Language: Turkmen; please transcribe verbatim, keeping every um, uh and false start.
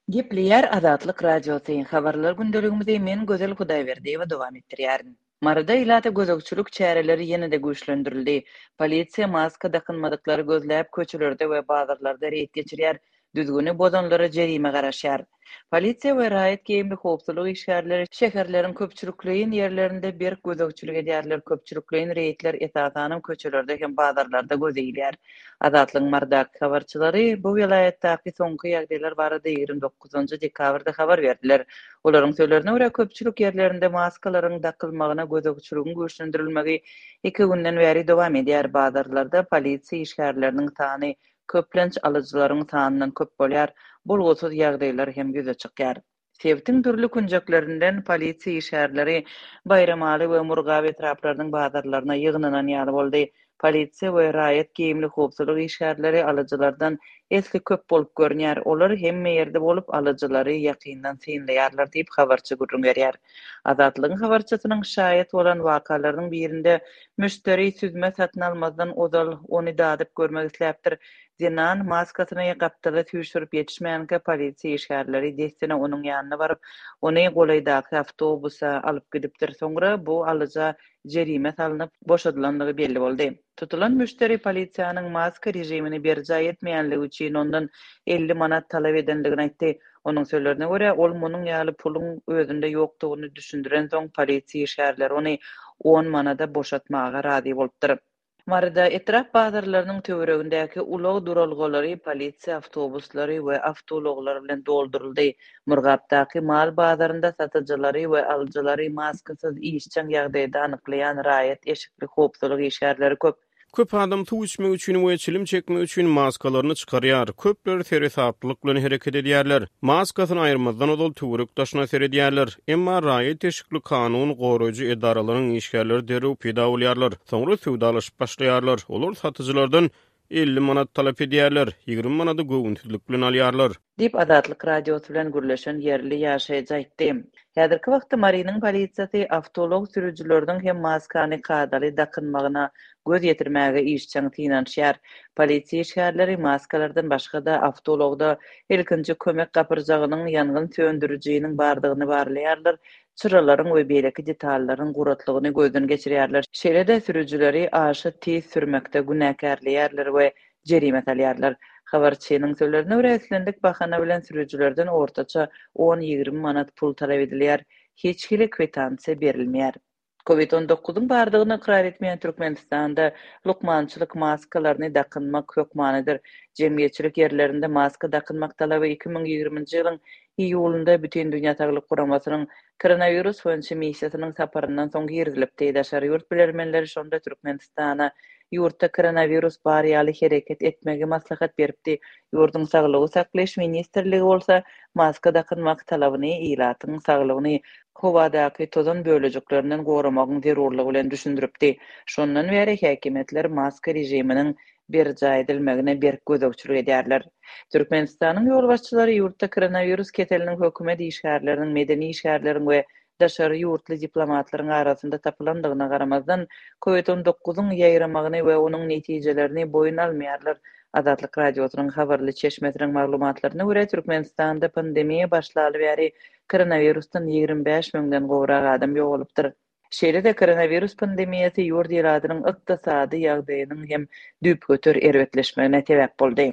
Gepleýär Azatlyk Radiosy, Habarlar gündeligimizi men Gözel Hudaýberdiýewa dowam etdirýärin. Maryda ilata gözegçilik çäreleri ýene-de güýçlendirildi. Polisiýa maska dakynmadyklary gözläp, köçelerde we bazarlarda reýd geçirýär, düzgüni bozanlara jerime garaşýar. Polisiýa we raýat geýimli howpsuzlyk işgärleri şäherleriň köpçülikleýin ýerlerinde berk gözegçilik edýärler, köpçülikleýin reýdler esasanam köçelerde hem bazarlarda göze ilýär. Azatlygyň Marydaky habarçylary bu welaýatdaky soňky ýagdaýlar barada ýigrimi dokuzynjy dekabrda habar berdiler. Olaryň sözlerine görä, köpçülik ýerlerinde maskalaryň dakylmagyna gözegçiligiň güýçlendirilmegi iki günden bäri dowam edýär, bazarlarda polisiýa işgärleriniň sany köplenç alyjylaryň sanyndan köp bolýar, bolgusyz ýagdaýlar hem ýüze çykýar. Sebitiň dürli künjeklerinden polisiýa işgärleri Baýramaly we Murgap etraplarynyň bazarlaryna ýygnanan ýaly boldy. Polisiýa we raýat geýimli howpsuzlyk işgärleri alyjylardan esli köp bolup görünýär. Olar hemme ýerde bolup, alyjylary ýakyndan synlaýarlar diýip, habarçy gürrüň berýär. Azatlygyň habarçysynyň şaýat bolan wakalarynyň birinde müşderi süzme satyn almazdan ozal ony dadyp görmek isläpdir. Zenan maskasyny gapdala süýşürip ýetişmänkä, polisiýa işgärleri dessine onuň ýanyna baryp, ony golaýdaky awtobusa alyp gidipdir. Soňra bu alyja jerime salnyp, boşadylandygy belli boldy. Tutulan müşderi polisiýanyň maska režimini berjaý etmeýänligi üçin ondan elli manat talap edendigini aýtdy. Onuň sözlerine görä, ol munuň ýaly puluň özünde ýokdugyny düşündirensoň, polisiýa işgärleri ony on manada boşatmaga razy bolupdyr. Maryda etrap bazarlarynyň töweregindäki ulag duralgalary polisiýa awtobuslary we awtoulaglar bilen dolduryldy. Murgapdaky mal bazarynda satyjylary we alyjylary maskasyz işjeň ýagdaýda anyklaýan raýat eşikli howpsuzlyk işgärleri köp. Köp adam suw içmek üçin we çilim çekmek üçin maskalaryny çykarýar. Köpler seresaplylyk bilen hereket edýärler. Maskasyny aýyrmazdan ozal töwerek-daşyna seredýärler. Emma raýat eşikli kanun goraýjy edaralaryň işgärleri derrew peýda bolýarlar. Soňra söwdalaşyp başlaýarlar. Olar satyjylardan elli manat talap edýärler, ýigrimi manady göwünsizlik bilen alýarlar. Diýip, Azatlyk Radiosy bilen gürleşen ýerli ýaşaýjy aýtdy. Häzirki wagtda Marynyň polisiýasy awtoulag sürüjileriniň hem maskany kadaly dakynmagyna göz ýetirmäge işjeň synanyşýar. Polisiýa işgärleri maskalardan başga-da awtoulagda ilkinji kömek gapyrjagynyň, ýangyn söndürijiniň bardygyny barlaýarlar, çyralaryň we beýleki detallaryň guratlygyny gözden geçirýärler. Şeýle-de sürüjileri aşa tiz sürmekde günäkärleýärler we jerime salýarlar. Habarçynyň sözlerine görä, islendik bahana bilen sürüjilerden ortaça on-ýigrimi manat pul talap edilýär. Hiç hili kwitansiýa berilmeýär. Covid on dokuzyň bardygyny ykrar etmeýän Türkmenistanda lukmançylyk maskalaryny dakynmak hökmanydyr. Jemgyýetçilik ýerlerinde maska dakynmak talaby iki müň ýigriminji ýylyň iýulynda Bütindünýä Saglyk Guramasynyň koronawirus boýunça missiýasynyň saparyndan soň girizilipdi. Daşary ýurt bilermenleri şonda Türkmenistana ýurtda koronawirus bar ýaly hereket etmegi maslahat beripdi. Ýurduň Saglygy saklaýyş ministrligi bolsa maska dakynmak talabyny ilatyň saglygyny howadaky tozan bölejiklerinden goramagyň zerurlygy bilen düşündiripdi. Şondan bäri häkimiýetler maska režiminiň berjaý edilmegine berk gözegçilik edýärler. Türkmenistanyň ýolbaşçylary ýurtda koronawirus keseliniň hökümet işgärleriniň, medeni işgärleriň we daşary ýurtly diplomatlaryň arasynda tapylandygyna garamazdan, Covid on dokuzyň ýaýramagyny we onuň netijelerini boýun almaýarlar. Azatlyk Radiosynyň habarly çeşmesiniň maglumatlaryna görä, Türkmenistanda pandemiýa başlaly bäri koronawirusdan ýigrimi bäş müňden gowrak adam ýogalypdyr. Şeýle-de koronawirus pandemiýasy ýurt ilatynyň ykdysady ýagdaýynyň hem düýpgöter erbetleşmegine sebäp boldy.